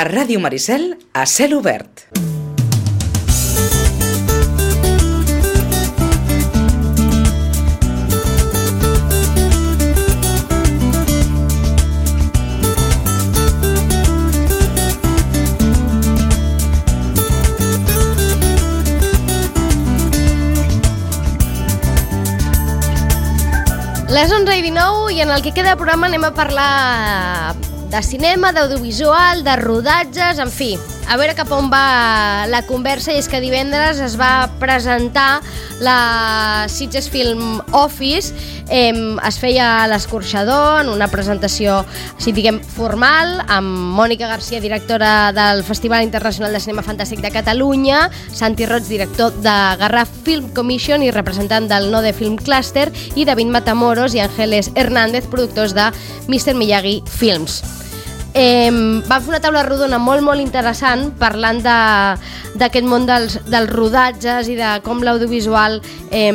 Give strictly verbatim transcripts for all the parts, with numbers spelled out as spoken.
A Ràdio Maricel, a cel obert. Les onze i dinou i en el que queda de programa anem a parlar de cinema, d'audiovisual, de rodatges, en fi, a veure cap on va la conversa. I és que divendres es va presentar la Sitges Film Office, eh, es feia a l'Escorxador, en una presentació, si diguem, formal, amb Mònica Garcia, directora del Festival Internacional de Cinema Fantàstic de Catalunya, Santi Roig, director de Garraf Film Commission i representant del Node Film Cluster, i David Matamoros i Ángeles Hernández, productors de mister Miyagi Films. Eh, van fer una taula rodona molt molt interessant parlant d'aquest món dels, dels rodatges i de com l'audiovisual eh,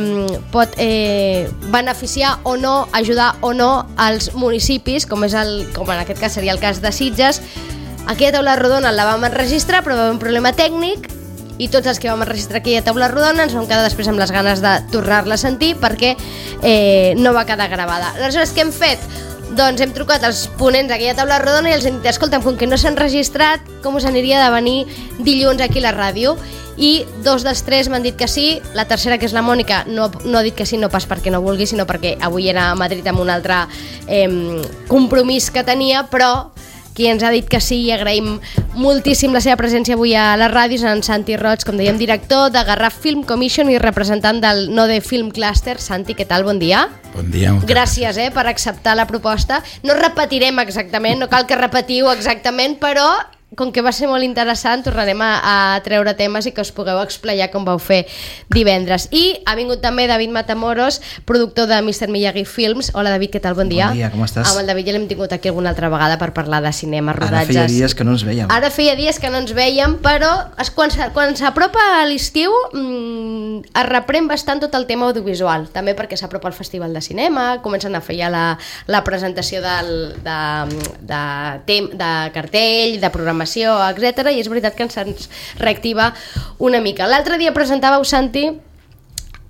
pot eh, beneficiar o no, ajudar o no als municipis, com, és el, com en aquest cas seria el cas de Sitges. Aquella taula rodona la vam enregistrar, però va haver un problema tècnic i tots els que vam enregistrar aquella taula rodona ens vam quedar després amb les ganes de tornar-la a sentir perquè eh, no va quedar gravada. Aleshores, què hem fet? Doncs hem trucat als ponents d'aquella taula rodona i els hem dit, escolta'm, com que no s'han registrat, com us aniria de venir dilluns aquí a la ràdio? I dos dels tres m'han dit que sí, la tercera, que és la Mònica, no, no ha dit que sí, no pas perquè no vulgui, sinó perquè avui era a Madrid amb un altre eh, compromís que tenia, però qui ens ha dit que sí, i agraïm moltíssim la seva presència avui a la ràdio, és en Santi Roig, com dèiem, director de Garraf Film Commission i representant del Node Film Cluster. Santi, què tal? Bon dia. Bon dia. Gràcies eh, per acceptar la proposta. No repetirem exactament, no cal que repetiu exactament, però com que va ser molt interessant, tornarem a, a treure temes i que us pugueu explayar com vau fer divendres. I ha vingut també David Matamoros, productor de mister Miyagi Films. Hola David, què tal? Bon dia. Bon dia, com estàs? Amb el David ja l'hem tingut aquí alguna altra vegada per parlar de cinema, rodatges. Ara feia dies que no ens vèiem. Ara feia dies que no ens vèiem, però es, quan, quan s'apropa a l'estiu mmm, es reprèn bastant tot el tema audiovisual, també perquè s'apropa el Festival de Cinema, comencen a fer ja la, la presentació del, de, de, de, de cartell, de programació, etcètera. I és veritat que ens reactiva una mica. L'altre dia presentàveu, Santi,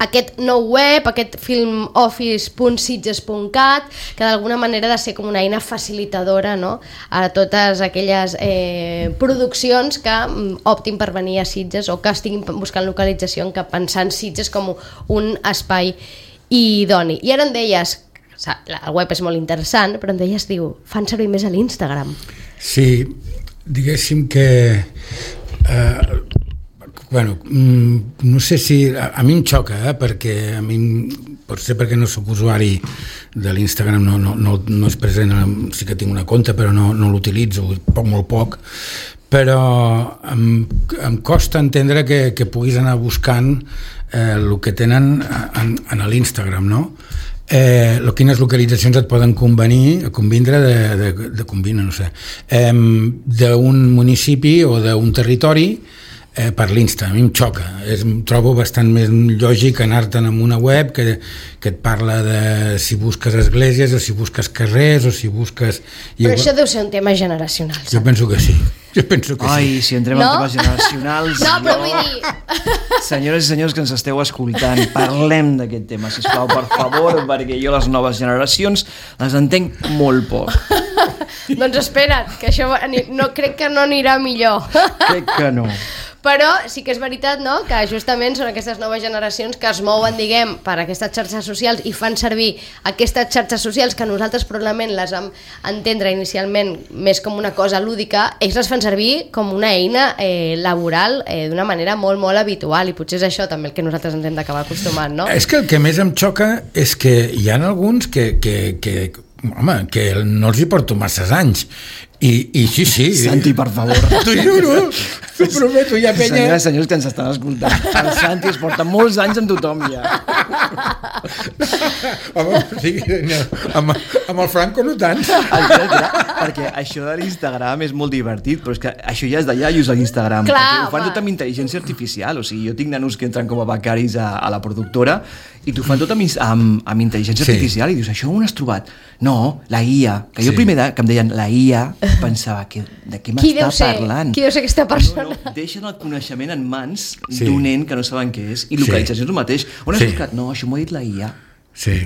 aquest nou web, aquest filmoffice punt sitges punt cat, que d'alguna manera ha de ser com una eina facilitadora, no?, a totes aquelles eh, produccions que mm, optin per venir a Sitges o que estiguin buscant localització, que pensant Sitges com un espai idoni. I ara em deies, el web és molt interessant, però em deies, diu, fan servir més a l'Instagram. Sí, diguéssim que eh, bueno, no sé si a, a mi em xoca, eh, perquè a mi potser perquè no sóc usuari de l'Instagram, no, no, no, no és present, sí que tinc una compte però no, no l'utilitzo, poc, molt poc, però em, em costa entendre que, que puguis anar buscant eh, el que tenen en, en l'Instagram, no? Eh, quines localitzacions et poden convenir, convindre de, de, de convindre, no sé, eh, d'un municipi o d'un territori eh, per l'Insta. A mi em xoca, és, em trobo bastant més lògic anar-te'n en una web que, que et parla de si busques esglésies o si busques carrers o si busques... Però això deu ser un tema generacional, saps? Jo penso que sí. Jo penso que Ai, sí. si entrem no? en temes generacionals... No, però vull dir... Senyores i senyors que ens esteu escoltant, parlem d'aquest tema, sisplau, per favor, perquè jo les noves generacions les entenc molt poc. Doncs espera't, que això no, crec que no anirà millor. Crec que no. Però sí que és veritat, no?, que justament són aquestes noves generacions que es mouen, diguem, per aquestes xarxes socials i fan servir aquestes xarxes socials que nosaltres probablement les vam entendre inicialment més com una cosa lúdica, ells les fan servir com una eina eh, laboral eh, d'una manera molt, molt habitual, i potser és això també el que nosaltres ens hem d'acabar acostumant, no? És que el que més em xoca és que hi ha alguns que, que, que, home, que no els hi porto masses anys. I, i sí, sí. Santi, per favor. T'ho juro. T'ho prometo, hi ha penya... Senyores i senyors que ens estan escoltant, el Santi es porta molts anys amb tothom ja. Home, sí, no, amb, amb el Franco no tant. Exacte, perquè això de l'Instagram és molt divertit, però és que això ja és de iaios a l'Instagram, Clar, perquè ho fan home. tot amb intel·ligència artificial, o sigui, jo tinc nanos que entren com a becaris a, a la productora i t'ho fan tot amb, amb, amb intel·ligència Sí. artificial i dius, això on has trobat? No, la I A, que jo Sí. primer de, que em deien la I A pensava, que, de què Qui deu m'està ser? parlant? Qui deu ser aquesta persona? No, no, deixen el coneixement en mans Sí. d'un nen que no saben què és i Sí. localització és el mateix. On has Sí. buscat? No, això m'ho ha dit la I A. Sí,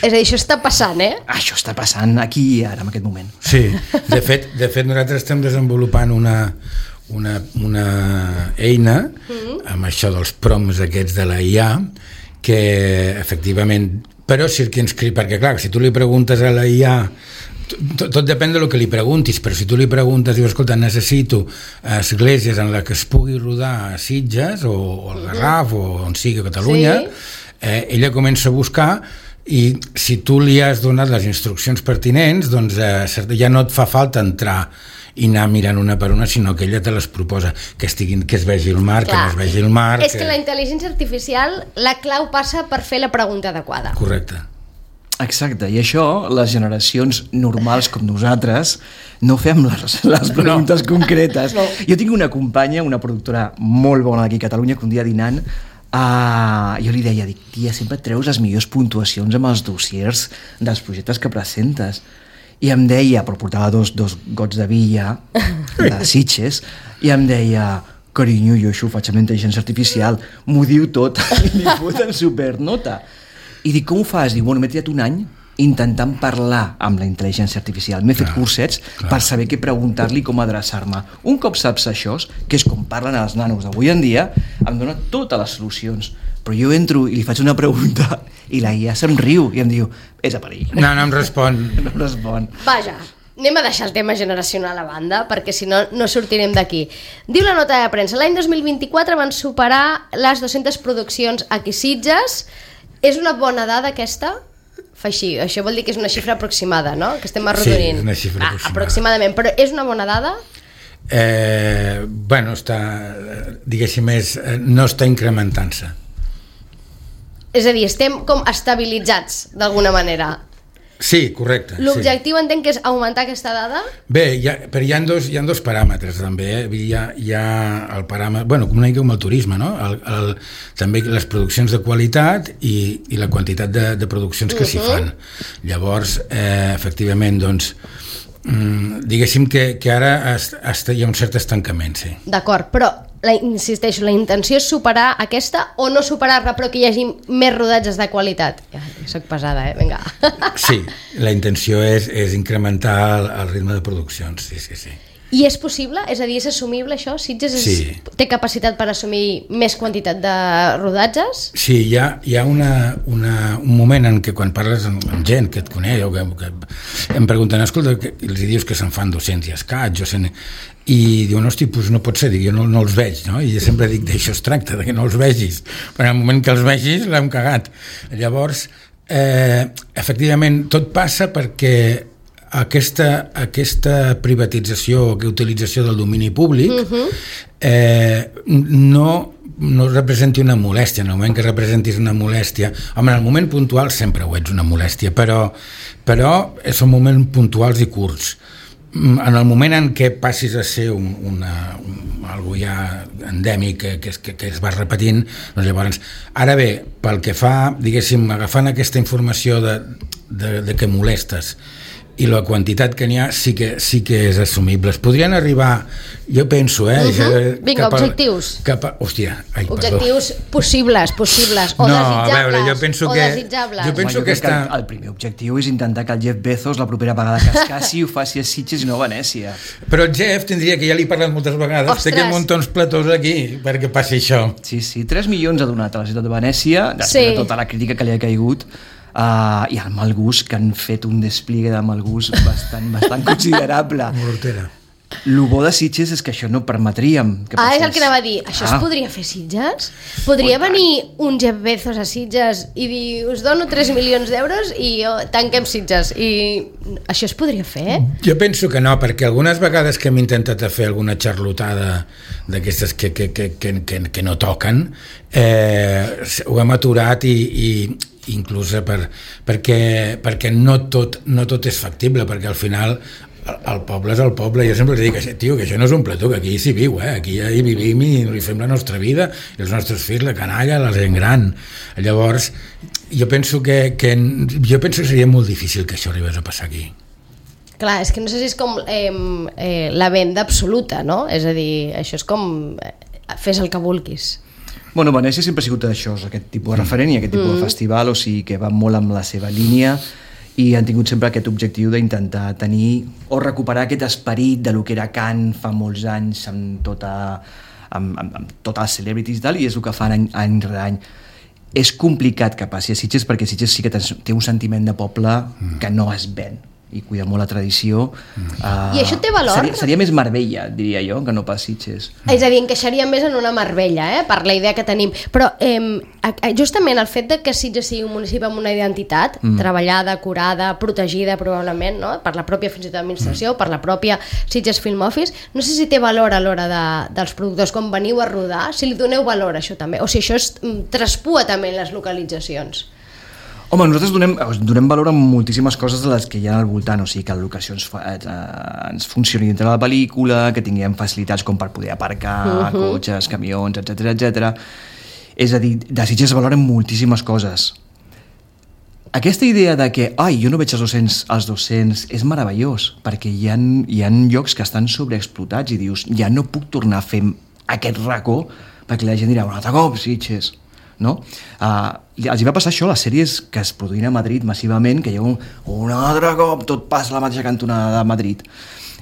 És a dir, això està passant, eh? Això està passant aquí i ara, en aquest moment. sí. De fet, de fet nosaltres estem desenvolupant una, una, una eina amb això dels prompts aquests de la I A que efectivament però circumscrit, perquè clar, si tu li preguntes a la I A tot, tot depèn del que li preguntis, però si tu li preguntes, dius, escolta, necessito esglésies en la que es pugui rodar a Sitges o, o al Garraf o on sigui a Catalunya, Sí. eh, ella comença a buscar i si tu li has donat les instruccions pertinents, doncs eh, ja no et fa falta entrar i anar mirant una per una, sinó que ella te les proposa, que, estiguin, que es vegi el mar, Clar. que no es vegi el mar... És que la intel·ligència artificial, la clau passa per fer la pregunta adequada. Correcte. Exacte, i això les generacions normals com nosaltres no fem les, les preguntes no. concretes. No. Jo tinc una companya, una productora molt bona d'aquí a Catalunya, que un dia dinant uh, jo li deia, dic, tia, sempre treus les millors puntuacions amb els dossiers dels projectes que presentes. I em deia, però portava dos, dos gots de villa de Sitges, i em deia, carinyo, jo això ho faig amb la intel·ligència artificial, m'ho diu tot, i li foten supernota. I dic, com ho fas? Diu, bueno, m'he triat un any intentant parlar amb la intel·ligència artificial. M'he fet Clar, cursets clar. per saber què preguntar-li, com adreçar-me. Un cop saps això, que és com parlen els nanos d'avui en dia, em dona totes les solucions. Però jo entro i li faig una pregunta i la I A se'm riu i em diu, és a perill. No, no em respon. No em respon. Vaja, anem a deixar el tema generacional a banda, perquè si no, no sortirem d'aquí. Diu la nota de premsa, l'any dos mil vint-i-quatre van superar les dues-centes produccions aquí a Sitges. És una bona dada aquesta? Fa així, això vol dir que és una xifra aproximada, no? Que estem arrodonint. Sí, és una xifra ah, aproximada. Aproximadament, però és una bona dada? Eh, bueno, està, diguéssim, és, no està incrementant-se. És a dir, estem com estabilitzats, d'alguna manera. Sí, correcte. L'objectiu sí. entenc que és augmentar aquesta dada? Bé, hi ha, però hi ha, dos, hi ha dos paràmetres també, eh? Hi ha, hi ha el paràmetre, bueno, com una mica com el turisme, no? El, el, també les produccions de qualitat i, i la quantitat de, de produccions que uh-huh. s'hi fan. Llavors, eh, efectivament, doncs, mm, diguéssim que, que ara est, est, hi ha un cert estancament, sí. D'acord, però la, insisteixo, la intenció és superar aquesta o no superar-la però que hi hagi més rodatges de qualitat? Ja, soc pesada, eh? Vinga. Sí, la intenció és, és incrementar el, el ritme de produccions, sí, sí, sí. I és possible? És a dir, és assumible això? Sitges és, Sí. té capacitat per assumir més quantitat de rodatges? Sí, hi ha, hi ha una, una, un moment en què quan parles amb, amb gent que et coneix o que, que em pregunten, escolta, que, i els dius que se'n fan dos-cents i escaig, o cent, i diuen, hosti, doncs no pot ser, dic, jo no, no els veig, no? I jo sempre dic, d'això es tracta, de que no els vegis, però en el moment que els vegis l'hem cagat. Llavors, eh, efectivament, tot passa perquè aquesta, aquesta privatització, aquesta utilització del domini públic uh-huh. eh, no, no representi una molèstia. En el moment que representis una molèstia, home, en el moment puntual sempre ho ets una molèstia, però, però són moments puntuals i curts. En el moment en què passis a ser un, una, un, algo ja endèmic que, que, que, que es va repetint, doncs llavors, ara bé, pel que fa, diguéssim, agafant aquesta informació de, de, de que molestes i la quantitat que n'hi ha sí que, sí que és assumible. Es podrien arribar, jo penso, eh? Uh-huh. Vinga, cap a, objectius. Cap a, hòstia, ai, Objectius perdó. possibles, possibles, o no, desitjables, a veure, jo penso o que, desitjables. Jo penso Home, jo que crec està... que el, el primer objectiu és intentar que el Jeff Bezos la propera vegada que es casi ho faci a Sitges i no a Venècia. Però el Jeff tindria, que ja li he parlat moltes vegades, Ostres. té que muntar uns platós aquí perquè passi això. Sí, sí, tres milions ha donat a la ciutat de Venècia, després Sí. de tota la crítica que li ha caigut, uh, i el mal gust, que han fet un despliegue de mal gust bastant, bastant considerable. Mortera. El bo de Sitges és que això no permetríem que Ah, passés. és el que anava a dir. Això Ah. es podria fer a Sitges? Podria venir un Jeff Bezos a Sitges i dir, us dono tres milions d'euros i jo tanquem Sitges. I això es podria fer? Jo penso que no, perquè algunes vegades que hem intentat fer alguna xarlotada d'aquestes que, que, que, que, que, que no toquen, eh, ho hem aturat i, i inclús per, perquè, perquè no, tot, no tot és factible, perquè al final el poble és el poble. Jo sempre dic, tio, que això no és un plató, que aquí s'hi viu, eh? Aquí hi vivim i hi fem la nostra vida, i els nostres fills, la canalla, la gent gran. Llavors, jo penso que, que, jo penso que seria molt difícil que això arribés a passar aquí. Clar, és que no sé si és com eh, eh, la venda absoluta, no? És a dir, això és com eh, fes el que vulguis. Bueno, Venècia sempre ha sigut això, aquest tipus de referent i aquest tipus mm. de festival, o sigui que va molt amb la seva línia i han tingut sempre aquest objectiu d'intentar tenir o recuperar aquest esperit de lo que era Cannes fa molts anys amb tota amb, amb, amb totes les celebrities i tal, i és el que fan any, any rere any. És complicat que passi a Sitges perquè Sitges sí que té un sentiment de poble mm. que no es ven i cuida molt la tradició. Mm. Uh, I això té valor? Seria, seria més Marbella, diria jo, que no pas Sitges. Mm. És a dir, encaixaria més en una Marbella, eh? Per la idea que tenim. Però eh, justament el fet de que Sitges sigui un municipi amb una identitat mm. treballada, curada, protegida probablement, no? Per la pròpia fins i tot administració, mm. per la pròpia Sitges Film Office, no sé si té valor a l'hora de, dels productors quan veniu a rodar, si li doneu valor a això també, o si això es traspua també en les localitzacions. Home, nosaltres donem, donem valor a moltíssimes coses de les que hi ha al voltant, o sigui que la locació ens, fa, eh, ens funcioni dintre de la pel·lícula, que tinguem facilitats com per poder aparcar uh-huh. cotxes, camions, etcètera, etcètera. És a dir, de Sitges es valoren moltíssimes coses. Aquesta idea de que, ai, jo no veig els dos-cents, els dos-cents, és meravellós, perquè hi ha, hi ha llocs que estan sobreexplotats i dius, ja no puc tornar a fer aquest racó, perquè la gent dirà, un altre cop, Sitges. No? Uh, els hi va passar això a les sèries que es produïen a Madrid massivament, que hi ha un, un altre cop tot passa a la mateixa cantonada de Madrid.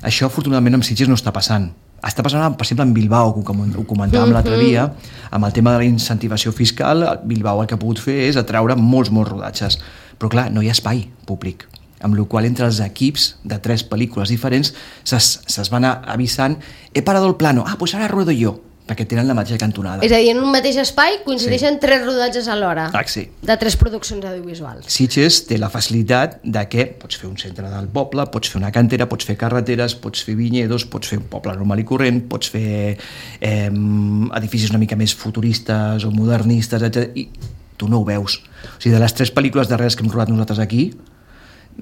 Això afortunadament amb Sitges no està passant. Està passant, per exemple, en Bilbao, que ho comentàvem l'altre dia, amb el tema de la incentivació fiscal. Bilbao el que ha pogut fer és atraure molts, molts rodatges. Però clar, no hi ha espai públic, amb la qual entre els equips de tres pel·lícules diferents ses, ses van avisant, he parado el plano, ah, pues ara ruedo jo, perquè tenen la mateixa cantonada. És a dir, en un mateix espai coincideixen sí. tres rodatges alhora ah, sí. de tres produccions audiovisuals. Sitges té la facilitat de que pots fer un centre del poble, pots fer una cantera, pots fer carreteres, pots fer vinyedos, pots fer un poble normal i corrent, pots fer eh, edificis una mica més futuristes o modernistes, etcètera. I tu no ho veus. O sigui, de les tres pel·lícules darreres que hem rodat nosaltres aquí,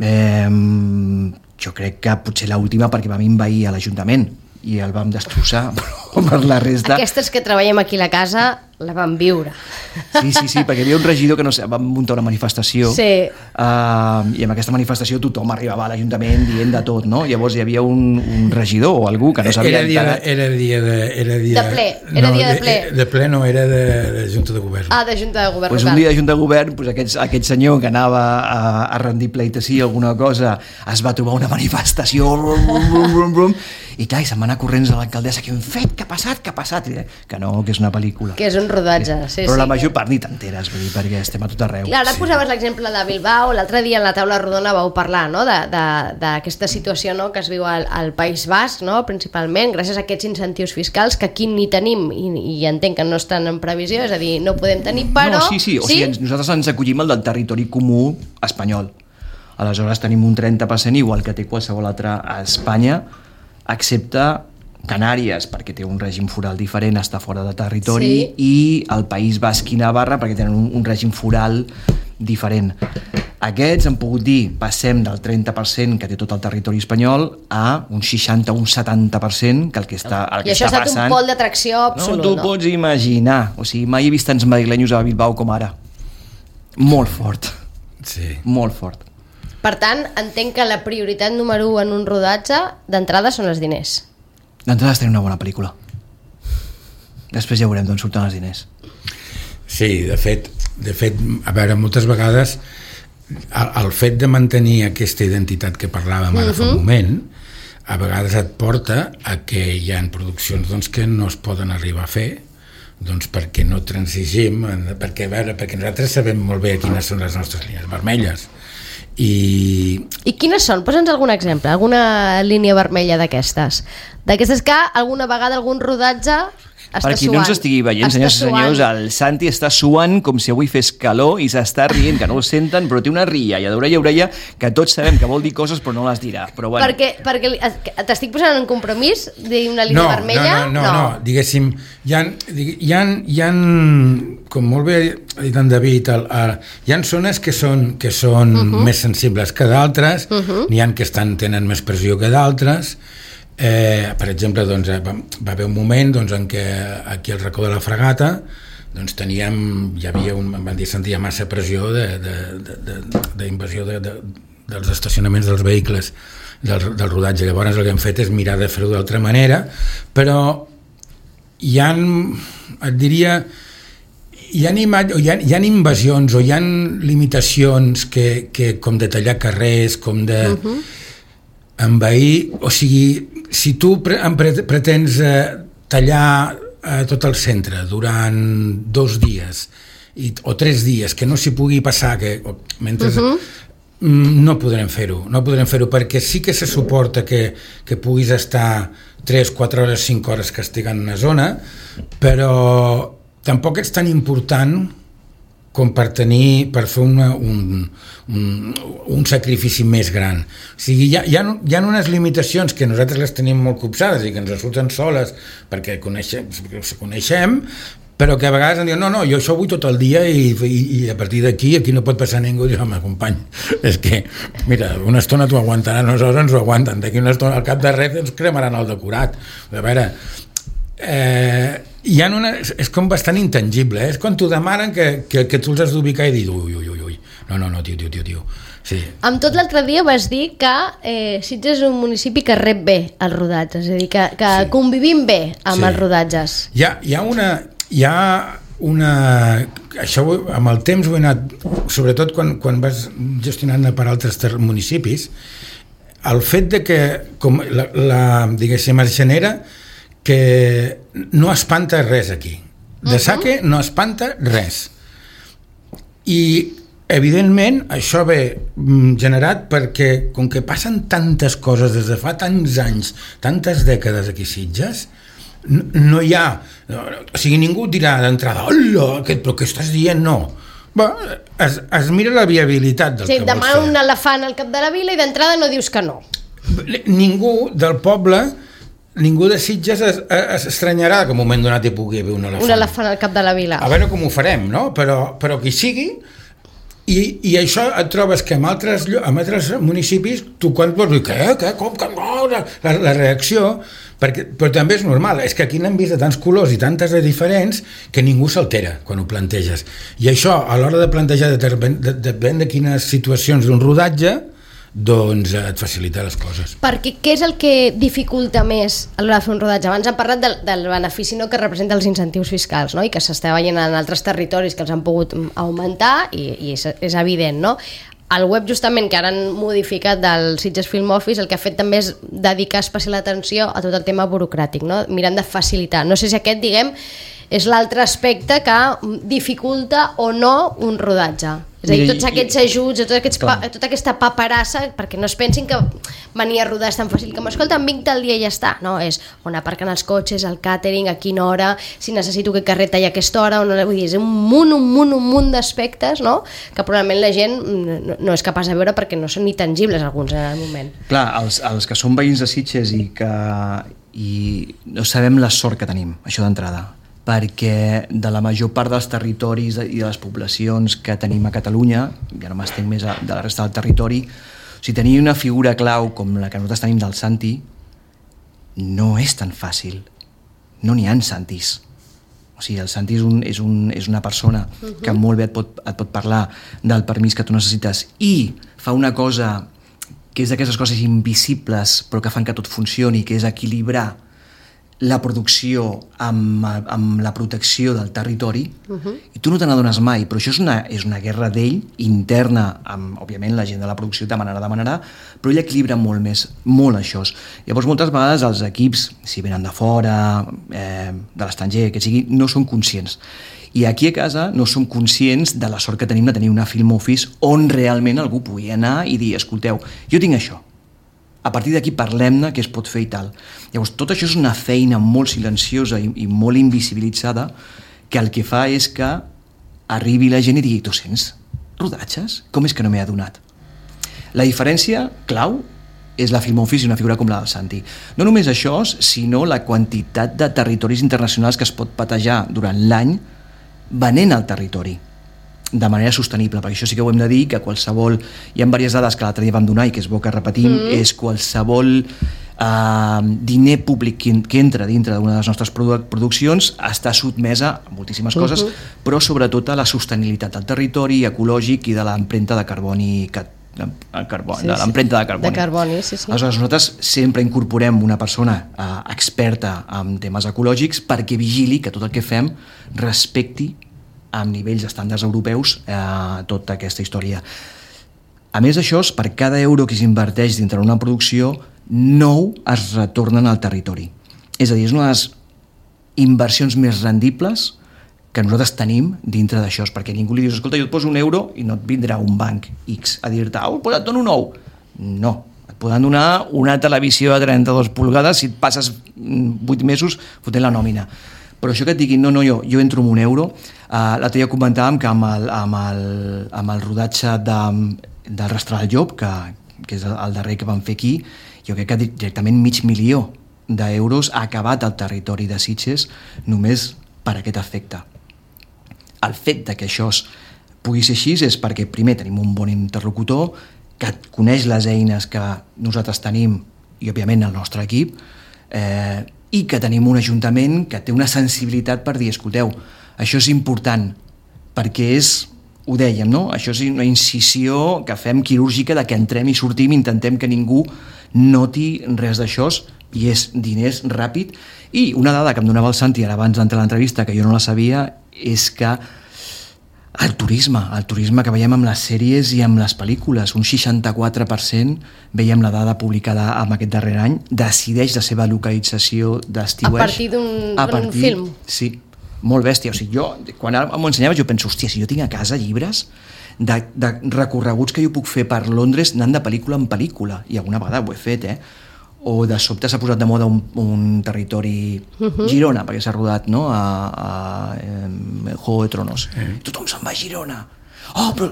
eh, jo crec que potser l'última perquè vam envair a l'Ajuntament i el vam destrossar, però per la resta... Aquestes que treballem aquí a la casa la vam viure. Sí, sí, sí, perquè hi havia un regidor que no sé, va muntar una manifestació sí. uh, i en aquesta manifestació tothom arribava a l'Ajuntament dient de tot, no? Llavors hi havia un, un regidor o algú que no sabia... Era dia de, era dia de, era dia de ple, era no, dia de ple. De, de ple no, era de, de Junta de Govern. Ah, de Junta de Govern pues local. Un dia de Junta de Govern, pues aquest, aquest senyor que anava a, a rendir pleitesía alguna cosa, es va trobar una manifestació brum, brum, brum, brum, i clar, i se'n va anar corrents a l'alcaldessa, què hem fet, què ha passat, què ha passat? I, que no, que és una pel·lícula. Que és un rodatge, sí, però sí. la major part ni t'enteres, vull dir, perquè estem a tot arreu. Clar, ara sí. posaves l'exemple de Bilbao, l'altre dia en la taula rodona vau parlar, no?, d'aquesta situació, no?, que es viu al, al País Basc, no?, principalment, gràcies a aquests incentius fiscals que aquí ni tenim i, i entenc que no estan en previsió, és a dir, no podem tenir, però... No, sí, sí, o sigui, sí? Nosaltres ens acollim al del territori comú espanyol. Aleshores tenim un trenta per cent igual que té qualsevol altre a Espanya, excepte Canàries, perquè té un règim foral diferent, està fora de territori, sí. I el País Basc i Navarra, perquè tenen un, un règim foral diferent. Aquests han pogut dir, passem del trenta per cent que té tot el territori espanyol a un seixanta o un setanta per cent que el que està, el que I això està ha estat passant... un pol d'atracció absolut, no? Tu no? pots imaginar, o sigui, mai he vist tants madrilenys a Bilbao com ara. Molt fort. Sí. Molt fort. Per tant, entenc que la prioritat número u en un rodatge d'entrada són els diners. D'entrada és tenir una bona pel·lícula. Després ja veurem d'on surten els diners. Sí, de fet, de fet, a veure, moltes vegades el, el fet de mantenir aquesta identitat que parlàvem ara uh-huh. fa un moment, a vegades et porta a que hi ha produccions doncs, que no es poden arribar a fer, doncs perquè no transigim, perquè, a veure, perquè nosaltres sabem molt bé quines són les nostres línies vermelles i... I quines són? Posa'ns algun exemple, alguna línia vermella d'aquestes. D'aquestes que alguna vegada algun rodatge està per qui suant. no ens estigui veient, senyors i senyors, el Santi està suant com si avui fes calor i s'està rient, que no ho senten, però té una rialla d'orella a orella que tots sabem que vol dir coses però no les dirà. Però bueno. Perquè, perquè t'estic posant en compromís de una línia no, vermella? No, no, no, no, no. Diguéssim, hi ha, hi ha, hi ha, com molt bé ha dit en David, el, el, hi ha zones que són, que són uh -huh. més sensibles que d'altres, uh -huh. n'hi ha que estan, tenen més pressió que d'altres. Eh, per exemple, doncs, va, va haver un moment doncs, en què aquí al racó de la Fragata doncs, teníem, hi havia un, van dir, sentia massa pressió d'invasió de, de, de, de, dels estacionaments dels vehicles del, del rodatge. Llavors el que hem fet és mirar de fer-ho d'altra manera, però hi ha, et diria, hi ha, hi ha, hi ha invasions o hi ha limitacions que, que com de tallar carrers, com de uh-huh. envair, o sigui, si tu pre pretens eh, tallar eh, tot el centre durant dos dies i, o tres dies, que no s'hi pugui passar, que o, mentre... Uh-huh. no podrem fer-ho, no podrem fer-ho perquè sí que se suporta que, que puguis estar tres, quatre hores, cinc hores castigant una zona, però tampoc és tan important com per tenir, per fer una, un, un, un sacrifici més gran. O sigui, hi ha, hi, ha, hi ha unes limitacions que nosaltres les tenim molt copsades i que ens surten soles perquè coneixem, coneixem però que a vegades em diuen, no, no, jo això ho vull tot el dia i, i, i a partir d'aquí aquí no pot passar ningú. I dius, home, company, és que, mira, una estona t'ho aguantaran, nosaltres ens ho aguanten, d'aquí una estona al cap de res ens cremaran el decorat. A veure, eh, hi ha una, és com bastant intangible, eh? És quan t'ho demanen que, que, que tu els has d'ubicar i dir, ui, ui, ui, ui, no, no, no, tio, tio, tio, tio. Sí. Amb tot l'altre dia vas dir que eh, Sitges és un municipi que rep bé els rodatges, és a dir, que, que sí. convivim bé amb sí. els rodatges. Hi ha, hi ha una... Hi ha una... Això amb el temps ho he anat... Sobretot quan, quan vas gestionant per altres municipis, el fet de que com la, la, diguéssim, es genera que no espanta res aquí. De saque no espanta res. I evidentment això ve generat perquè com que passen tantes coses des de fa tants anys, tantes dècades aquí a Sitges, no, no hi ha, no, o sigui, ningú dirà d'entrada, hola, aquest, però què estàs dient? No. Bé, es, es mira la viabilitat del sí, que vols fer. Sí, demà un elefant al cap de la vila i d'entrada no dius que no. Ningú del poble, ningú de Sitges es, es estranyarà que en un moment donat hi pugui haver un elefant. Un elefant al cap de la vila. A veure com ho farem, no? Però, però que hi sigui. I, i això et trobes que en altres, en altres municipis tu quan vols dir, què, què, com, com, no, la, la reacció, perquè, però també és normal, és que aquí n'hem vist de tants colors i tantes de diferents que ningú s'altera quan ho planteges. I això, a l'hora de plantejar depèn de, de, de, de quines situacions d'un rodatge, doncs et facilita les coses. Perquè què és el que dificulta més a l'hora de fer un rodatge? Abans hem parlat del, del benefici no, que representa els incentius fiscals, no? I que s'està veient en altres territoris que els han pogut augmentar i, i és, és evident, no? El web justament que ara han modificat del Sitges Film Office el que ha fet també és dedicar especial atenció a tot el tema burocràtic, no? Mirant de facilitar. No sé si aquest, diguem, és l'altre aspecte que dificulta o no un rodatge. És a dir, tots aquests ajuts, tots aquests pa, tota aquesta paperassa, perquè no es pensin que venir a rodar és tan fàcil com, escolta, em vinc tal dia i ja està. No, és on aparquen els cotxes, el càtering, a quina hora, si necessito que carrer talla a aquesta hora, no, vull dir, és un munt, un munt, un munt d'aspectes, no?, que probablement la gent no, no és capaç de veure perquè no són ni tangibles alguns en el moment. Clar, els, els que són veïns de Sitges i que i no sabem la sort que tenim, això d'entrada, perquè de la major part dels territoris i de les poblacions que tenim a Catalunya, ja no m'estenc més de la resta del territori, si tenir una figura clau com la que nosaltres tenim del Santi, no és tan fàcil. No n'hi ha Santis. O sigui, el Santi és, un, és, un, és una persona que molt bé et pot, et pot parlar del permís que tu necessites i fa una cosa que és d'aquestes coses invisibles però que fan que tot funcioni, que és equilibrar la producció amb, amb la protecció del territori, uh-huh. i tu no te n'adones mai, però això és una, és una guerra d'ell interna, amb, òbviament la gent de la producció demanarà, demanarà, però ell equilibra molt més, molt això. Llavors moltes vegades els equips, si venen de fora, eh, de l'estranger, que sigui, no són conscients. I aquí a casa no som conscients de la sort que tenim de tenir una film office on realment algú pugui anar i dir, escolteu, jo tinc això, a partir d'aquí parlem-ne què es pot fer i tal. Llavors, tot això és una feina molt silenciosa i, i molt invisibilitzada que el que fa és que arribi la gent i digui, tu sents rodatges? Com és que no m'he adonat? La diferència clau és la Film Office i una figura com la del Santi. No només això, sinó la quantitat de territoris internacionals que es pot patejar durant l'any venent al territori de manera sostenible, perquè això sí que ho hem de dir, que qualsevol, hi ha diverses dades que l'altre dia vam donar i que és bo que repetim, mm. és qualsevol eh, diner públic que, que entra dintre d'una de les nostres produ- produccions està sotmesa a moltíssimes coses, uh-huh. però sobretot a la sostenibilitat del territori ecològic i de l'empremta de carboni que carboni, sí, de l'empremta de carboni. De carboni, sí, sí. Aleshores, nosaltres sempre incorporem una persona eh, experta en temes ecològics perquè vigili que tot el que fem respecti amb nivells estàndards europeus eh, tota aquesta història. A més d'això, per cada euro que s'inverteix dintre d'una producció, nou es retornen al territori. És a dir, és una de les inversions més rendibles que nosaltres tenim dintre d'això, perquè ningú li dius, escolta, jo et poso un euro i no et vindrà un banc X a dir-te, oh, pues et dono un nou. No, et poden donar una televisió de trenta-dues pulgades si et passes vuit mesos fotent la nòmina. Però això que et diguin, no, no, jo, jo entro amb un euro, uh, l'altre dia comentàvem que amb el, amb el, amb el rodatge de, del Rastrar el Llop, que, que és el darrer que vam fer aquí, jo crec que directament mig milió d'euros ha acabat al territori de Sitges només per aquest efecte. El fet de que això pugui ser així és perquè primer tenim un bon interlocutor que coneix les eines que nosaltres tenim i òbviament el nostre equip, eh, i que tenim un ajuntament que té una sensibilitat per dir, escolteu, això és important, perquè és, ho dèiem, no? Això és una incisió que fem quirúrgica de que entrem i sortim, intentem que ningú noti res d'això, i és diners ràpid. I una dada que em donava el Santi ara abans d'entrar a l'entrevista, que jo no la sabia, és que el turisme, el turisme que veiem amb les sèries i amb les pel·lícules, un seixanta-quatre per cent, veiem la dada publicada amb aquest darrer any, decideix la seva localització d'estiueig. A partir d'un film. Sí, molt bèstia. O sigui, jo, quan m'ho ensenyaves, jo penso, hòstia, si jo tinc a casa llibres de, de recorreguts que jo puc fer per Londres anant de pel·lícula en pel·lícula, i alguna vegada ho he fet, eh? O de sobte s'ha posat de moda un, un territori uh-huh. Girona, perquè s'ha rodat, no? a, a, a Juego de Tronos. Sí. Tothom se'n va a Girona. Oh, però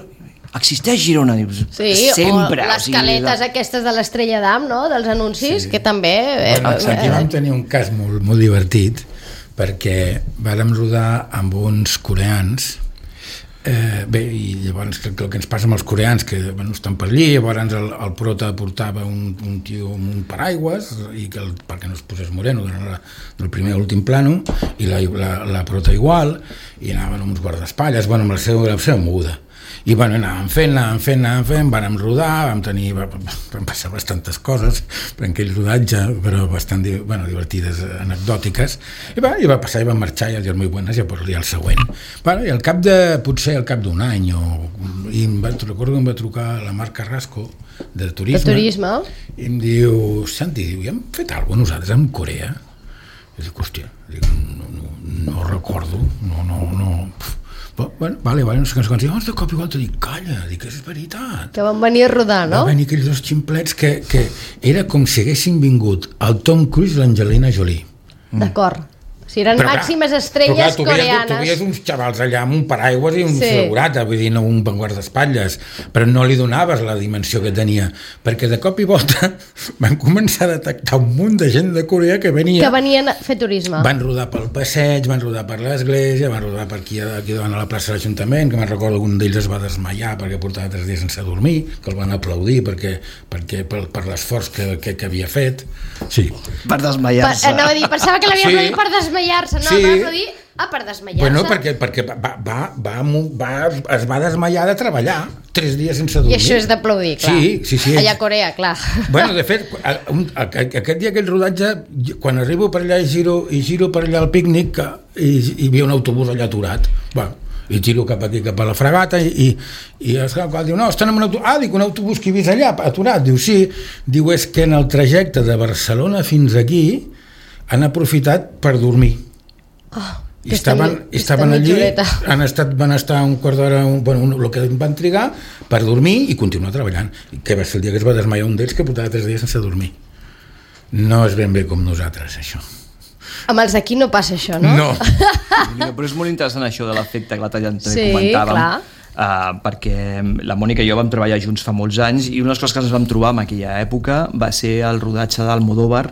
existeix Girona? Dius, sí, sempre. O les caletes o sigui, aquestes de l'Estrella d'Am, no? Dels anuncis, sí. Que també... Bueno, eh, aquí vam tenir un cas molt, molt divertit, perquè vàrem rodar amb uns coreans. Eh, bé, i llavors el que ens passa amb els coreans, que bueno, estan per allí, llavors el, el prota portava un, un tio amb un paraigües i que el, perquè no es posés moreno durant la, del primer a l'últim plano, i la, la, la prota igual, i anaven amb uns guardaespatlles, bueno, amb la seva, la seva moguda. I bueno, anàvem fent, anàvem fent, anàvem fent, vàrem rodar, vam tenir, vam passar bastantes coses per aquell rodatge, però bastant bueno, divertides, anecdòtiques, i va, i va passar, i va marxar, i els molt bones, i per dir el següent. Bueno, i al cap de, potser al cap d'un any, o, i em va, recordo que em va trucar la Marc Carrasco, de turisme, de turisme, i em diu, Santi, diu, ja hem fet alguna cosa nosaltres amb Corea? I dic, hòstia, dic, no, no, no recordo, no, no, no... Bueno, vale, vale, no sé què, no sé què, de cop igual t'ho dic, calla, dic, és veritat. Que van venir a rodar, no? Van venir aquells dos ximplets que, que era com si haguessin vingut el Tom Cruise i l'Angelina Jolie. D'acord. O sigui, eren però, màximes estrelles però, clar, tu coreanes. Tu veies uns xavals allà amb un paraigües i un sí. segurata, vull dir, no un guardaespatlles, però no li donaves la dimensió que tenia, perquè de cop i volta van començar a detectar un munt de gent de Corea que venia... Que venien a fer turisme. Van rodar pel passeig, van rodar per l'església, van rodar per aquí, aquí davant a la plaça de l'Ajuntament, que me'n recordo que un d'ells es va desmaiar perquè portava tres dies sense dormir, que el van aplaudir perquè, perquè per, per l'esforç que, que, que havia fet. Sí. Per desmaiar-se. Per, anava a dir, pensava que l'havia sí. aplaudit per desmaiar-se, no, sí. per aplaudir Ah, per desmaiar-se? Bueno, perquè, perquè va, va, va, va, es va desmaiar de treballar tres dies sense dormir. I això és d'aplaudir, clar. Sí, sí, sí. Allà a Corea, clar. Bueno, de fet, un, aquest dia, aquell rodatge, quan arribo per allà i giro, i giro per allà al pícnic, i hi havia un autobús allà aturat. Bueno, i giro cap aquí, cap a la Fragata, i, i el qual diu, no, estan en un autobús. Ah, dic, un autobús que he vist allà, aturat. Diu, sí. Diu, és que en el trajecte de Barcelona fins aquí han aprofitat per dormir. Oh. I estaven, estaven allí, han estat, van estar un quart d'hora, un, bueno, un, el que van trigar per dormir i continuar treballant. I que va ser el dia que es va desmaiar un d'ells que portava tres dies sense dormir. No és ben bé com nosaltres, això. Amb els d'aquí no passa això, no? No. Però és molt interessant això de l'efecte que l'altre dia també sí, comentàvem. Clar. Uh, perquè la Mònica i jo vam treballar junts fa molts anys i una de les coses que ens vam trobar en aquella època va ser el rodatge d'Almodóvar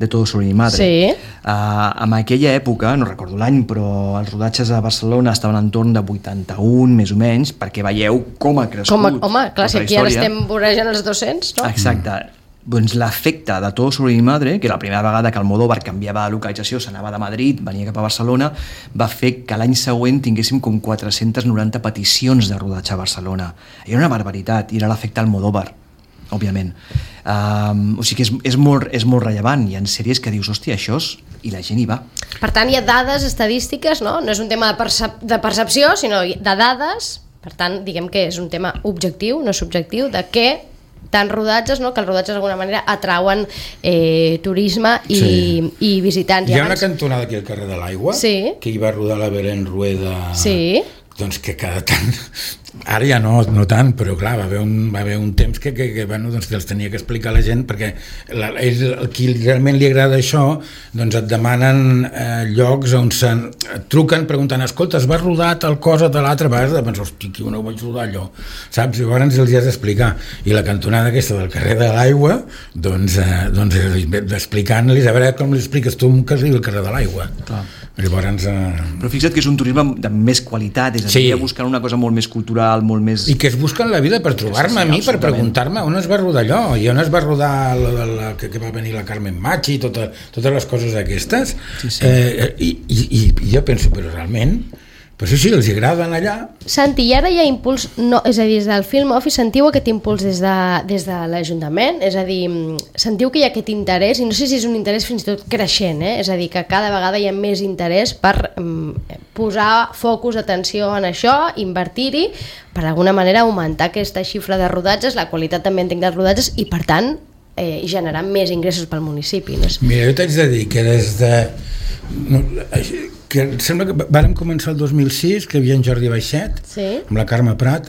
de Todo sobre mi madre. Sí. Uh, en aquella època, no recordo l'any, però els rodatges a Barcelona estaven entorn de vuitanta-un, més o menys, perquè veieu com ha crescut. Com a, home, clar, si aquí ara història. estem vorejant els dos-cents, no? Exacte. Mm. Doncs l'efecte de Todo sobre mi madre, que la primera vegada que Almodóvar canviava de localització, s'anava de Madrid, venia cap a Barcelona, va fer que l'any següent tinguéssim com quatre-centes noranta peticions de rodatge a Barcelona. Era una barbaritat, i era l'efecte Almodóvar, òbviament. Um, o sigui que és, és, molt, és molt rellevant. Hi ha sèries que dius, hòstia, això és... i la gent hi va. Per tant, hi ha dades estadístiques, no? No és un tema de, percep de percepció, sinó de dades. Per tant, diguem que és un tema objectiu, no subjectiu, de què tant rodatges, no? Que els rodatges d'alguna manera atrauen eh, turisme i, sí. i visitants. Hi ha abans... una cantonada aquí al carrer de l'Aigua, sí. que hi va rodar la Belén Rueda, sí. doncs que cada tant, ara ja no, no tant, però clar, va haver un, va haver un temps que, que, que, bueno, doncs que els tenia que explicar a la gent, perquè la, ells, el qui realment li agrada això, doncs et demanen eh, llocs on se'n truquen preguntant, escolta, es va rodar tal cosa de l'altra vegada, de pensar, hosti, que no ho vaig rodar allò, saps? I llavors els has d'explicar, i la cantonada aquesta del carrer de l'Aigua, doncs, eh, doncs explicant-los, a veure com li expliques tu que arribi al carrer de l'Aigua. Clar. Llavors, eh... Però fixa't que és un turisme de més qualitat, és a dir, sí. buscant una cosa molt més cultural, molt més... I que es busquen la vida per trobar-me a mi, per preguntar-me on es va rodar allò, i on es va rodar la, la, la, que, que va venir la Carmen Machi, tota, totes les coses aquestes. Sí, sí. Eh, i, i, I jo penso, però realment... Però sí, sí, els agraden allà. Santi, i ara hi ha impuls, no, és a dir, des del Film Office sentiu aquest impuls des de, des de l'Ajuntament? És a dir, sentiu que hi ha aquest interès, i no sé si és un interès fins i tot creixent, eh? És a dir, que cada vegada hi ha més interès per um, posar focus d'atenció en això, invertir-hi, per d'alguna manera augmentar aquesta xifra de rodatges, la qualitat també entenc dels rodatges, i per tant eh, generar més ingressos pel municipi. No sé. Mira, jo t'haig de dir que des de... No, que sembla que vàrem començar el dos mil sis, que hi havia en Jordi Baixet, sí. amb la Carme Prat,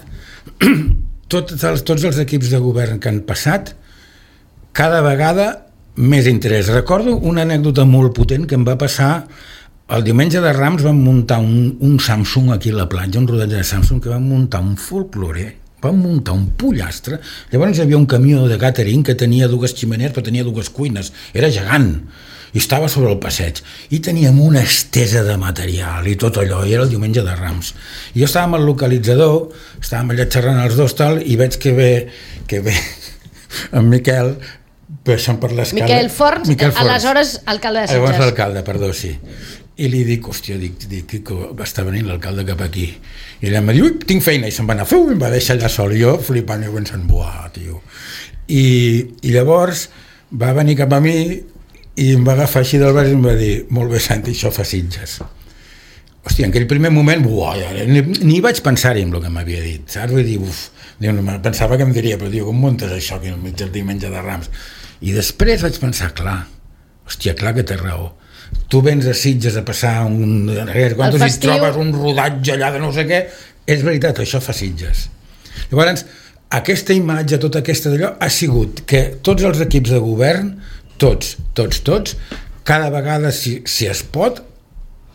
tots els, tots els equips de govern que han passat, cada vegada més interès. Recordo una anècdota molt potent que em va passar el diumenge de Rams. Vam muntar un, un Samsung aquí a la platja, un rodatge de Samsung, que vam muntar un folklore, vam muntar un pollastre. Llavors hi havia un camió de catering que tenia dues ximenees, però tenia dues cuines, era gegant, i estava sobre el passeig, i teníem una estesa de material i tot allò, i era el diumenge de Rams. I jo estava amb el localitzador, estàvem allà xerrant els dos, tal, i veig que ve, que ve en Miquel, baixant per l'escala... Miquel Forns, Miquel Forns, aleshores alcalde de Sitges. Llavors l'alcalde, perdó, sí. I li dic, hòstia, dic, dic que està venint l'alcalde cap aquí. I ella em diu, ui, tinc feina, i se'n va anar, feu, i em va deixar allà sol, i jo flipant, i pensant, buah, tio. I, i llavors va venir cap a mi, i em va agafar així del braç i em va dir, molt bé, Santi, això fa Sitges. Hòstia, en aquell primer moment, buah, ni, ni vaig pensar-hi en el que m'havia dit, saps? Vull dir, uf, pensava que em diria, però diu, com muntes això aquí al mig del diumenge de Rams? I després vaig pensar, clar, hòstia, clar que té raó. Tu vens a Sitges a passar un... Quan tu hi trobes un rodatge allà de no sé què, és veritat, això fa Sitges. Llavors, aquesta imatge, tota aquesta d'allò, ha sigut que tots els equips de govern, tots, tots, tots, cada vegada, si, si es pot,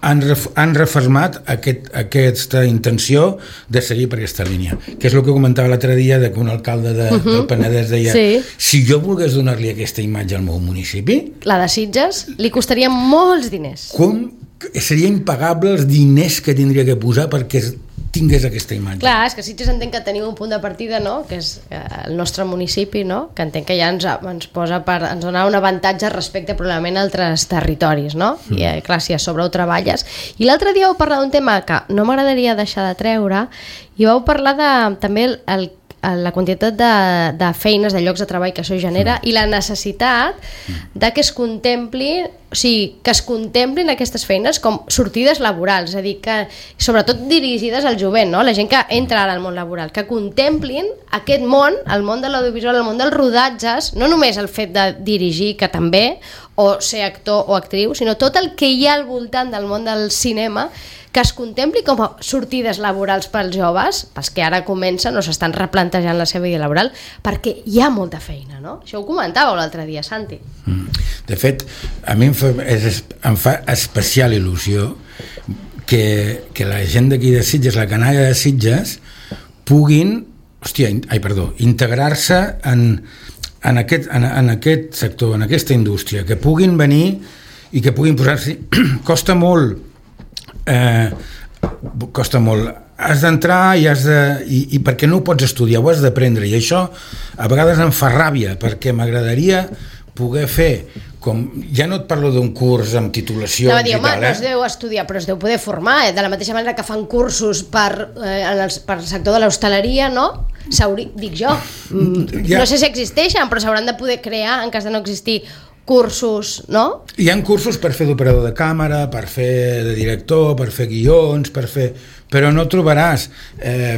han, ref, han refermat aquest, aquesta intenció de seguir per aquesta línia, que és el que comentava l'altre dia, de que un alcalde de, uh-huh. del Penedès deia, sí. si jo volgués donar-li aquesta imatge al meu municipi... La de Sitges, li costaria molts diners. Com seria impagable els diners que tindria que posar perquè tingués aquesta imatge. Clar, és que Sitges entenc que tenim un punt de partida, no?, que és el nostre municipi, no?, que entenc que ja ens, ens posa per, ens dona un avantatge respecte probablement a altres territoris, no? Mm. I clar, si a sobre ho treballes. I l'altre dia vau parlar d'un tema que no m'agradaria deixar de treure, i vau parlar de també el, el la quantitat de, de feines, de llocs de treball que això genera i la necessitat de que es contemplin, o sigui, que es contemplin aquestes feines com sortides laborals, és a dir, que sobretot dirigides al jovent, no? La gent que entra ara al món laboral, que contemplin aquest món, el món de l'audiovisual, el món dels rodatges, no només el fet de dirigir, que també, o ser actor o actriu, sinó tot el que hi ha al voltant del món del cinema, que es contempli com a sortides laborals pels joves, pels que ara comencen o s'estan replantejant la seva vida laboral, perquè hi ha molta feina, no? Això ho comentàveu l'altre dia, Santi. De fet, a mi em fa, és, em fa especial il·lusió que, que la gent d'aquí de Sitges, la canalla de Sitges, puguin, hòstia, ai, perdó, integrar-se en, en, aquest, en, en aquest sector, en aquesta indústria, que puguin venir i que puguin posar-s'hi. Costa molt Eh, costa molt, has d'entrar i has de i, i perquè no ho pots estudiar, ho has d'aprendre, i això a vegades em fa ràbia perquè m'agradaria poder fer com, ja no et parlo d'un curs amb titulació no, dir, i home, tal, eh? no es deu estudiar, però es deu poder formar, eh? De la mateixa manera que fan cursos per, eh, en el, per el sector de l'hostaleria, no? Dic jo, mm, ja. No sé si existeixen, però s'hauran de poder crear en cas de no existir cursos, no? Hi ha cursos per fer d'operador de càmera, per fer de director, per fer guions, per fer... però no trobaràs eh,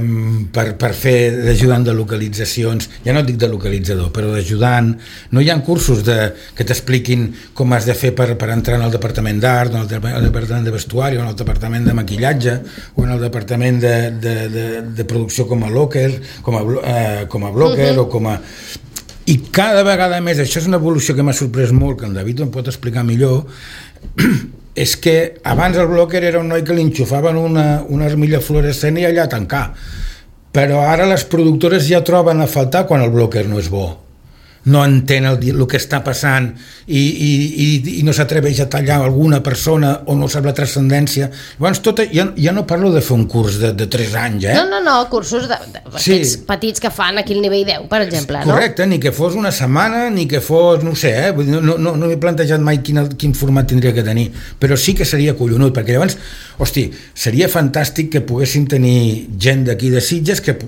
per, per fer d'ajudant de localitzacions, ja no dic de localitzador, però d'ajudant. No hi ha cursos de, que t'expliquin com has de fer per, per entrar en el departament d'art, en el departament de vestuari, o en el departament de maquillatge, o en el departament de, de, de, de producció com a locker, com a, eh, com a blocker, uh-huh. o com a... I cada vegada més, això és una evolució que m'ha sorprès molt, que el David em pot explicar millor, és que abans el blocker era un noi que li enxufaven una, una armilla fluorescent i allà a tancar, però ara les productores ja troben a faltar quan el blocker no és bo, no entén el, el que està passant i, i, i, i no s'atreveix a tallar alguna persona o no sap la transcendència. Llavors tot, ja, ja no parlo de fer un curs de, de tres anys, eh? No, no, no, cursos de, de, sí. petits que fan aquí al nivell deu, per exemple, no? Correcte, ni que fos una setmana, ni que fos, no sé, eh? no, no, no, no m'he plantejat mai quin, quin format tindria que tenir, però sí que seria collonut, perquè llavors, hosti, seria fantàstic que poguessin tenir gent d'aquí de Sitges que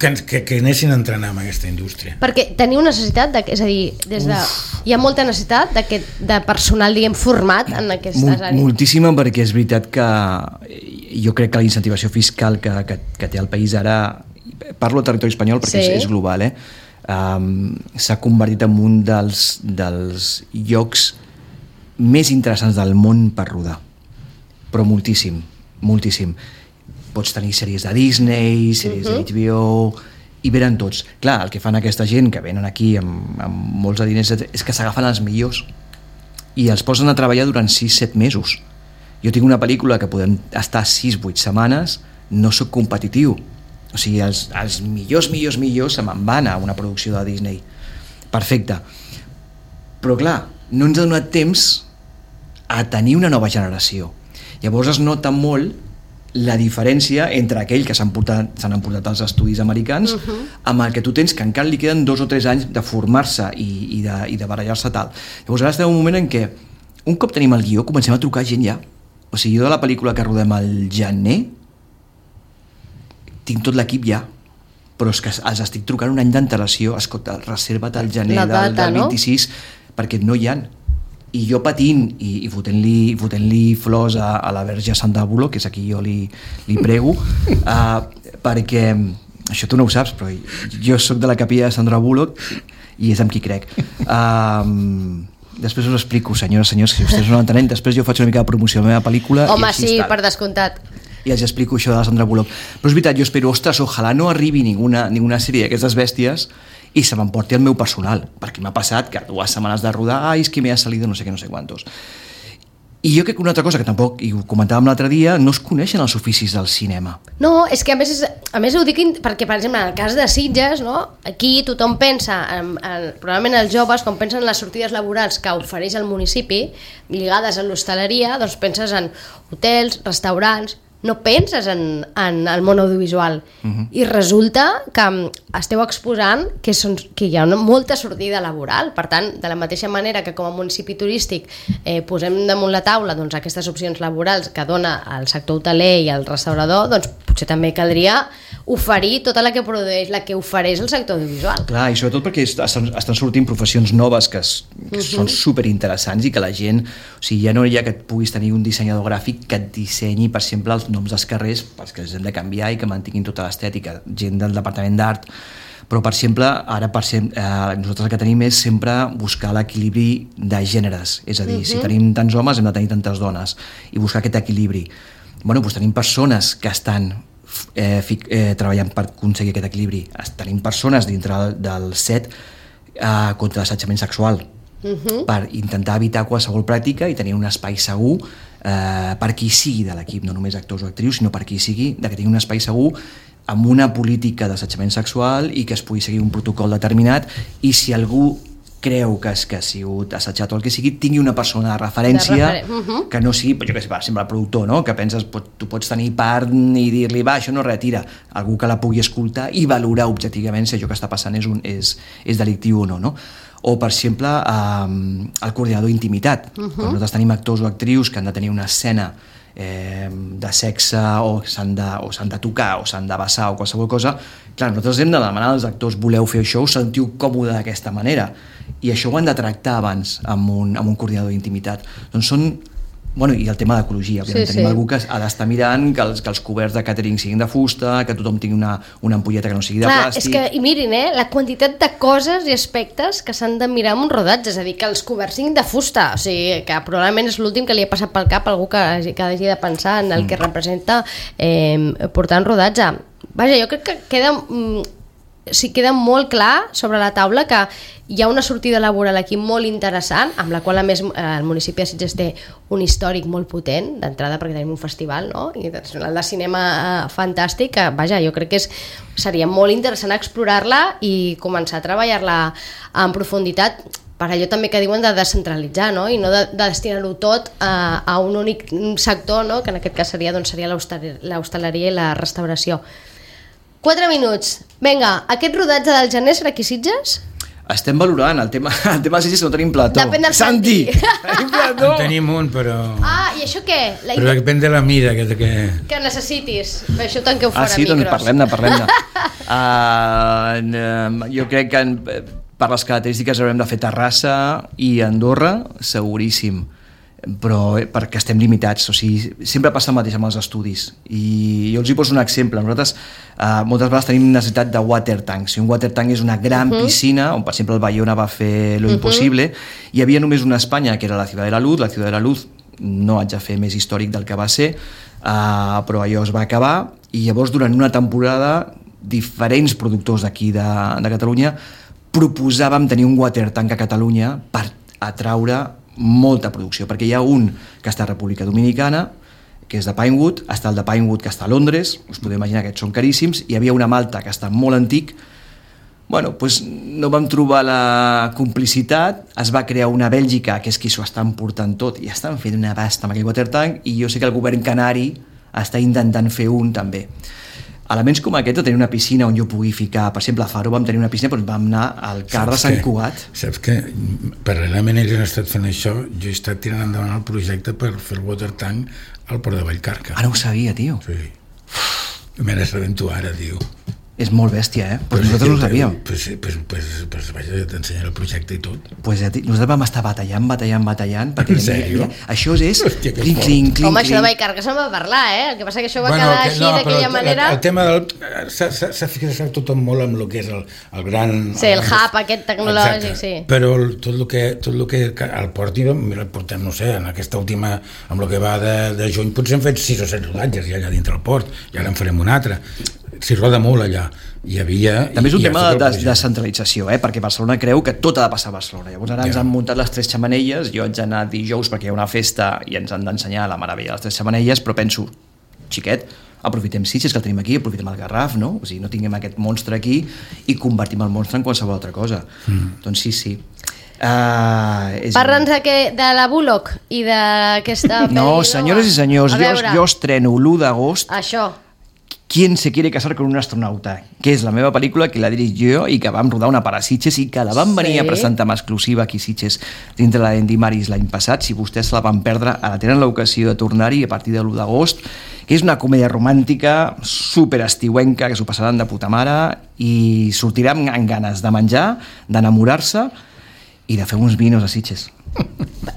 Que, que, que anessin a entrenar en aquesta indústria. Perquè teniu necessitat, de, és a dir, des de, hi ha molta necessitat de, de personal, diguem, format en aquestes Mol, àrees. Moltíssima, perquè és veritat que jo crec que la incentivació fiscal que, que, que té el país ara, parlo del territori espanyol perquè sí. és, és global, eh? Um, s'ha convertit en un dels, dels llocs més interessants del món per rodar, però moltíssim, moltíssim. Pots tenir sèries de Disney, sèries uh-huh. de H B O, i venen tots. Clar, el que fan aquesta gent que venen aquí amb, amb molts de diners és que s'agafen els millors i els posen a treballar durant sis set mesos. Jo tinc una pel·lícula que podem estar sis vuit setmanes, no sóc competitiu. O sigui, els, els millors, millors, millors se me'n van a una producció de Disney. Perfecte. Però clar, no ens ha donat temps a tenir una nova generació. Llavors es nota molt la diferència entre aquell que s'han portat, s'han emportat als estudis americans uh-huh. amb el que tu tens, que encara li queden dos o tres anys de formar-se i, i, de, i de barallar-se tal. Llavors ara estem en un moment en què un cop tenim el guió comencem a trucar gent ja. O sigui, jo de la pel·lícula que rodem al gener tinc tot l'equip ja, però és que els estic trucant un any d'antelació. Escolta, reserva't al gener data, del, del vint-i-sis, no? Perquè no hi ha. I jo patint i, i fotent-li, fotent-li flors a, a la Verge Sandra Bullock, que és a qui jo li, li prego, uh, perquè, això tu no ho saps, però jo sóc de la capella de Sandra Bullock i és amb qui crec. Uh, després us explico, senyores i senyors, si vostès no l'entenen, després jo faig una mica de promoció de la meva pel·lícula. Home, i sí, tal. per descomptat. I els explico això de la Sandra Bullock. Però és veritat, jo espero, ostres, ojalà no arribi ninguna, ninguna sèrie d'aquestes bèsties i se m'emporti el meu personal, perquè m'ha passat que dues setmanes de rodar, ai, és que m'ha salido no sé què, no sé quantos. I jo crec que una altra cosa que tampoc, i ho comentàvem l'altre dia, no es coneixen els oficis del cinema. No, és que a més, és, a més ho dic perquè, per exemple, en el cas de Sitges, no? Aquí tothom pensa, en, en, probablement els joves, quan pensen en les sortides laborals que ofereix el municipi, lligades a l'hostaleria, doncs penses en hotels, restaurants, no penses en, en el món audiovisual. Uh-huh. I resulta que esteu exposant que, són, que hi ha una, molta sortida laboral. Per tant, de la mateixa manera que com a municipi turístic eh, posem damunt la taula doncs, aquestes opcions laborals que dona el sector hoteler i el restaurador, doncs potser també caldria oferir tota la que produeix, la que ofereix el sector audiovisual. Clar, i sobretot perquè estan, estan sortint professions noves que, es, que uh-huh. són superinteressants i que la gent, o sigui, ja no hi ha que et puguis tenir un dissenyador gràfic que et dissenyi, per exemple, els noms dels carrers perquè els hem de canviar i que mantinguin tota l'estètica, gent del departament d'art, però per exemple, ara per sempre, eh, nosaltres el que tenim és sempre buscar l'equilibri de gèneres, és a dir, uh-huh. si tenim tants homes hem de tenir tantes dones i buscar aquest equilibri. Bueno, doncs tenim persones que estan eh, fic, eh, treballant per aconseguir aquest equilibri, tenim persones dintre del set eh, contra l'assetjament sexual, uh-huh. per intentar evitar qualsevol pràctica i tenir un espai segur eh, per qui sigui de l'equip, no només actors o actrius, sinó per qui sigui, de que tingui un espai segur amb una política d'assetjament sexual i que es pugui seguir un protocol determinat, i si algú creu que, és, que ha sigut assetjat o el que sigui, tingui una persona de referència de refer... uh-huh. que no sigui, jo què sé, per exemple, el productor, no? Que penses, pot, tu pots tenir part i dir-li, va, això no retira, algú que la pugui escoltar i valorar objectivament si allò que està passant és, un, és, és delictiu o no, no? O, per exemple, eh, el coordinador d'intimitat. Uh-huh. Quan nosaltres tenim actors o actrius que han de tenir una escena eh, de sexe o s'han de, o s'han de tocar o s'han de besar o qualsevol cosa, clar, nosaltres hem de demanar als actors, voleu fer això, us sentiu còmode d'aquesta manera, i això ho han de tractar abans amb un, amb un coordinador d'intimitat. Doncs són... Bueno, i el tema d'ecologia, òbviament, sí, tenim sí. algú que ha d'estar mirant que els, que els coberts de càtering siguin de fusta, que tothom tingui una, una ampolleta que no sigui de Clar, plàstic... És que, i mirin, eh, la quantitat de coses i aspectes que s'han de mirar en un rodatge, és a dir, que els coberts siguin de fusta, o sigui, que probablement és l'últim que li ha passat pel cap a algú que, que hagi de pensar en el mm. que representa eh, portar un rodatge. Vaja, jo crec que queda... Mm, sí, queda molt clar sobre la taula que hi ha una sortida laboral aquí molt interessant, amb la qual a més el municipi de Sitges té un històric molt potent d'entrada perquè tenim un festival, no? Internacional de cinema fantàstic, que vaja, jo crec que és, seria molt interessant explorar-la i començar a treballar-la en profunditat, per allò també que diuen de descentralitzar, no? I no de, de destinar-ho tot a, a un únic sector, no? Que en aquest cas seria, doncs, seria l'hostaleria i la restauració. Quatre minuts. Vinga, aquest rodatge del gener serà aquí Sitges? Estem valorant el tema, el tema de Sitges, no tenim plató. Depèn del Santi. Tenim plató. En tenim un, però... Ah, i això què? La... Però depèn de la mida que... Que, que necessitis. Això ho tanqueu fora, ah, sí? micros. Doncs parlem-ne, parlem-ne. uh, jo crec que en, per les característiques haurem de fer Terrassa i Andorra, seguríssim. Però perquè estem limitats, o sigui, sempre passa el mateix amb els estudis, i jo els hi poso un exemple. Nosaltres eh, moltes vegades tenim necessitat de water tanks, i un water tank és una gran uh-huh. piscina on, per exemple, el Bayona va fer lo uh-huh. impossible. Hi havia només una a Espanya, que era la Ciudad de la Luz. La Ciudad de la Luz no haig de fer més històric del que va ser, eh, però allò es va acabar, i llavors durant una temporada diferents productors d'aquí de, de Catalunya proposàvem tenir un water tank a Catalunya per atraure molta producció, perquè hi ha un que està a República Dominicana, que és de Pinewood, està el de Pinewood que està a Londres, us podeu imaginar que són caríssims, hi havia una Malta que està molt antic. Bueno, doncs no vam trobar la complicitat, es va crear una Bèlgica, que és qui s'ho està emportant tot, i estan fent una basta amb aquell water tank, i jo sé que el govern canari està intentant fer un també. Elements com aquest, de tenir una piscina on jo pugui ficar, per exemple, a Faro vam tenir una piscina, però vam anar al Car de Sant Cugat. Saps que paral·lelament ells han estat fent això, jo he estat tirant endavant el projecte per fer el water tank al Port de Vallcarca. Ah, no ho sabia, tio. Sí. Me n'he sabent tu ara, tio. És molt bèstia, eh? Pues nosaltres no ho sabíem. Pues, pues, pues, pues vaja, t'ensenyaré el projecte i tot. Pues ja, nosaltres vam estar batallant, batallant, batallant. En sèrio? Ja, això és... Hòstia, que clink, clink, clink, Home, això de Vallcarca se'n va parlar, eh? El que passa que això va bueno, quedar que, així, no, d'aquella manera... El, el tema del... S'ha fixat tothom molt amb el que és el, el gran... Sí, el hub aquest tecnològic, exacte. Sí. Però tot el que, tot el que el porti, mira, portem, no sé, en aquesta última, amb el que va de, de juny, potser hem fet sis o set rodatges ja allà dintre el port, i ara en farem un altre. S'hi roda molt allà. Hi havia... També és un tema de descentralització, eh? Perquè Barcelona creu que tot ha de passar a Barcelona. Llavors ara ens ja. han muntat les tres xamanelles, jo haig d'anar dijous perquè hi ha una festa i ens han d'ensenyar la meravella de les tres xamanelles, però penso, xiquet, aprofitem Sitges, que el tenim aquí, aprofitem el Garraf, no? O sigui, no tinguem aquest monstre aquí i convertim el monstre en qualsevol altra cosa. Mm. Doncs sí, sí. Uh, és... Parla'ns de, que, de la Bullock i d'aquesta... No, senyores i senyors, jo, jo estreno l'u d'agost Això. ¿Quién se quiere casar con un astronauta? Que és la meva pel·lícula, que la dirig jo i que vam rodar una part a Sitges i que la vam venir sí. a presentar amb exclusiva aquí a Sitges dintre la Andy Maris l'any passat. Si vostès se la van perdre, ara tenen l'ocasió de tornar-hi a partir de l'u d'agost, que és una comèdia romàntica superestiuenca, que s'ho passaran de puta mare i sortiran amb ganes de menjar, d'enamorar-se i de fer uns vinos a Sitges.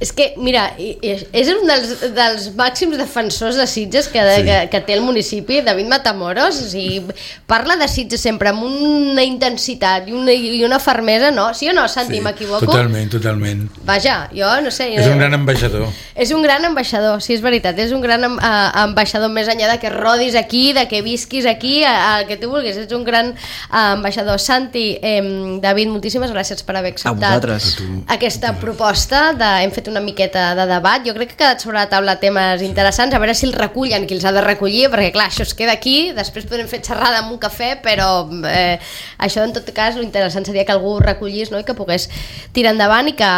És que, mira, és un dels, dels màxims defensors de Sitges que, sí. que, que té el municipi, David Matamoros. O sigui, parla de Sitges sempre amb una intensitat i una, i una fermesa, no? Sí o no, Santi, sí, m'equivoco? Totalment, totalment. Vaja, jo no sé... És un gran ambaixador. És un gran ambaixador, sí, és veritat. És un gran uh, ambaixador, més enllà de que rodis aquí, de que visquis aquí, el que tu vulguis. Ets un gran uh, ambaixador. Santi, eh, David, moltíssimes gràcies per haver acceptat aquesta proposta. De, hem fet una miqueta de debat. Jo crec que ha quedat sobre la taula temes interessants, a veure si els recullen qui els ha de recollir, perquè clar, això es queda aquí, després podrem fer xerrada amb un cafè, però eh, això en tot cas l'interessant seria que algú ho recollís, no? I que pogués tirar endavant i que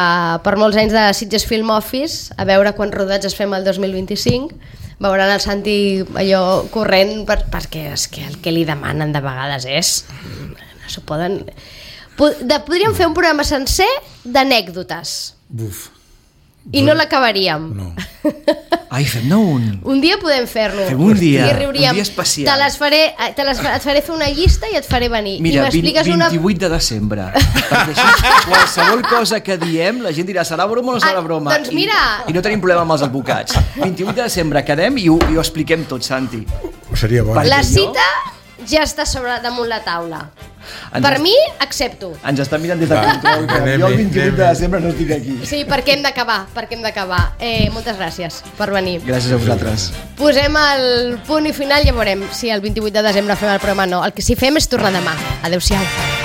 per molts anys de Sitges Film Office, a veure quants rodats es fem el dos mil vint-i-cinc, veuran el Santi allò corrent per, perquè és que el que li demanen de vegades és no s'ho poden... Podríem fer un programa sencer d'anècdotes. Buf. I no l'acabaríem. No. Ai, fem-ne un. Un dia podem fer-lo. Fem un dia, I riuríem. un dia especial. Te les faré, te les, et faré fer una llista i et faré venir. Mira, I m'expliques una... vint-i-vuit de desembre. Perquè així, qualsevol cosa que diem, la gent dirà, serà broma o no serà broma? Ah, doncs mira... I, I no tenim problema amb els advocats. vint-i-vuit de desembre quedem i ho, i ho expliquem tot, Santi. Seria bo. La cita ja està sobre damunt la taula. Ens per mi, accepto. Ens estan mirant des de control, que jo el vint-i-vuit de desembre no estic aquí. Sí, perquè hem d'acabar, perquè hem d'acabar. Eh, moltes gràcies per venir. Gràcies a vosaltres. Posem el punt i final i ja veurem si el vint-i-vuit de desembre fem el programa o no. El que sí fem és tornar demà. Adéu-siau.